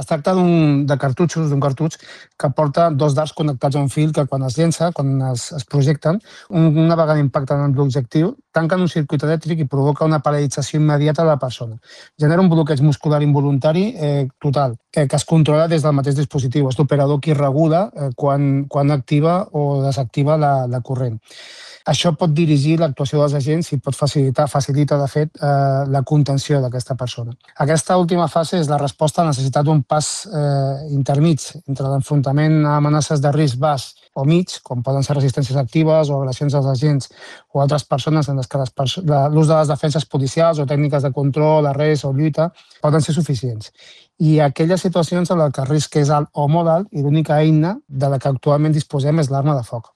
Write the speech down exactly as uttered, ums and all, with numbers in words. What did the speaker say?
Es tracta d'un de cartutxos, d'un cartutx que porta dos dards connectats a un fil que quan es llença, quan es, es projecten, un, una vegada impacten en l'objectiu, tanquen un circuit elèctric i provoca una paralització immediata de la persona. Genera un bloqueig muscular involuntari eh, total, que, que es controla des del mateix dispositiu. És l'operador qui regula eh, quan, quan activa o desactiva la, la corrent. Això pot dirigir l'actuació dels agents i pot facilitar, facilita, de fet, eh, la contenció d'aquesta persona. Aquesta última fase és la resposta a la necessitat d'un pas eh, intermig entre l'enfrontament a amenaces de risc baix o mig, com poden ser resistències actives o agressions als agents o altres persones en les que l'ús de les defenses policials o tècniques de control, arrest o lluita poden ser suficients. I aquelles situacions en què el risc és alt o molt alt i l'única eina de la que actualment disposem és l'arma de foc.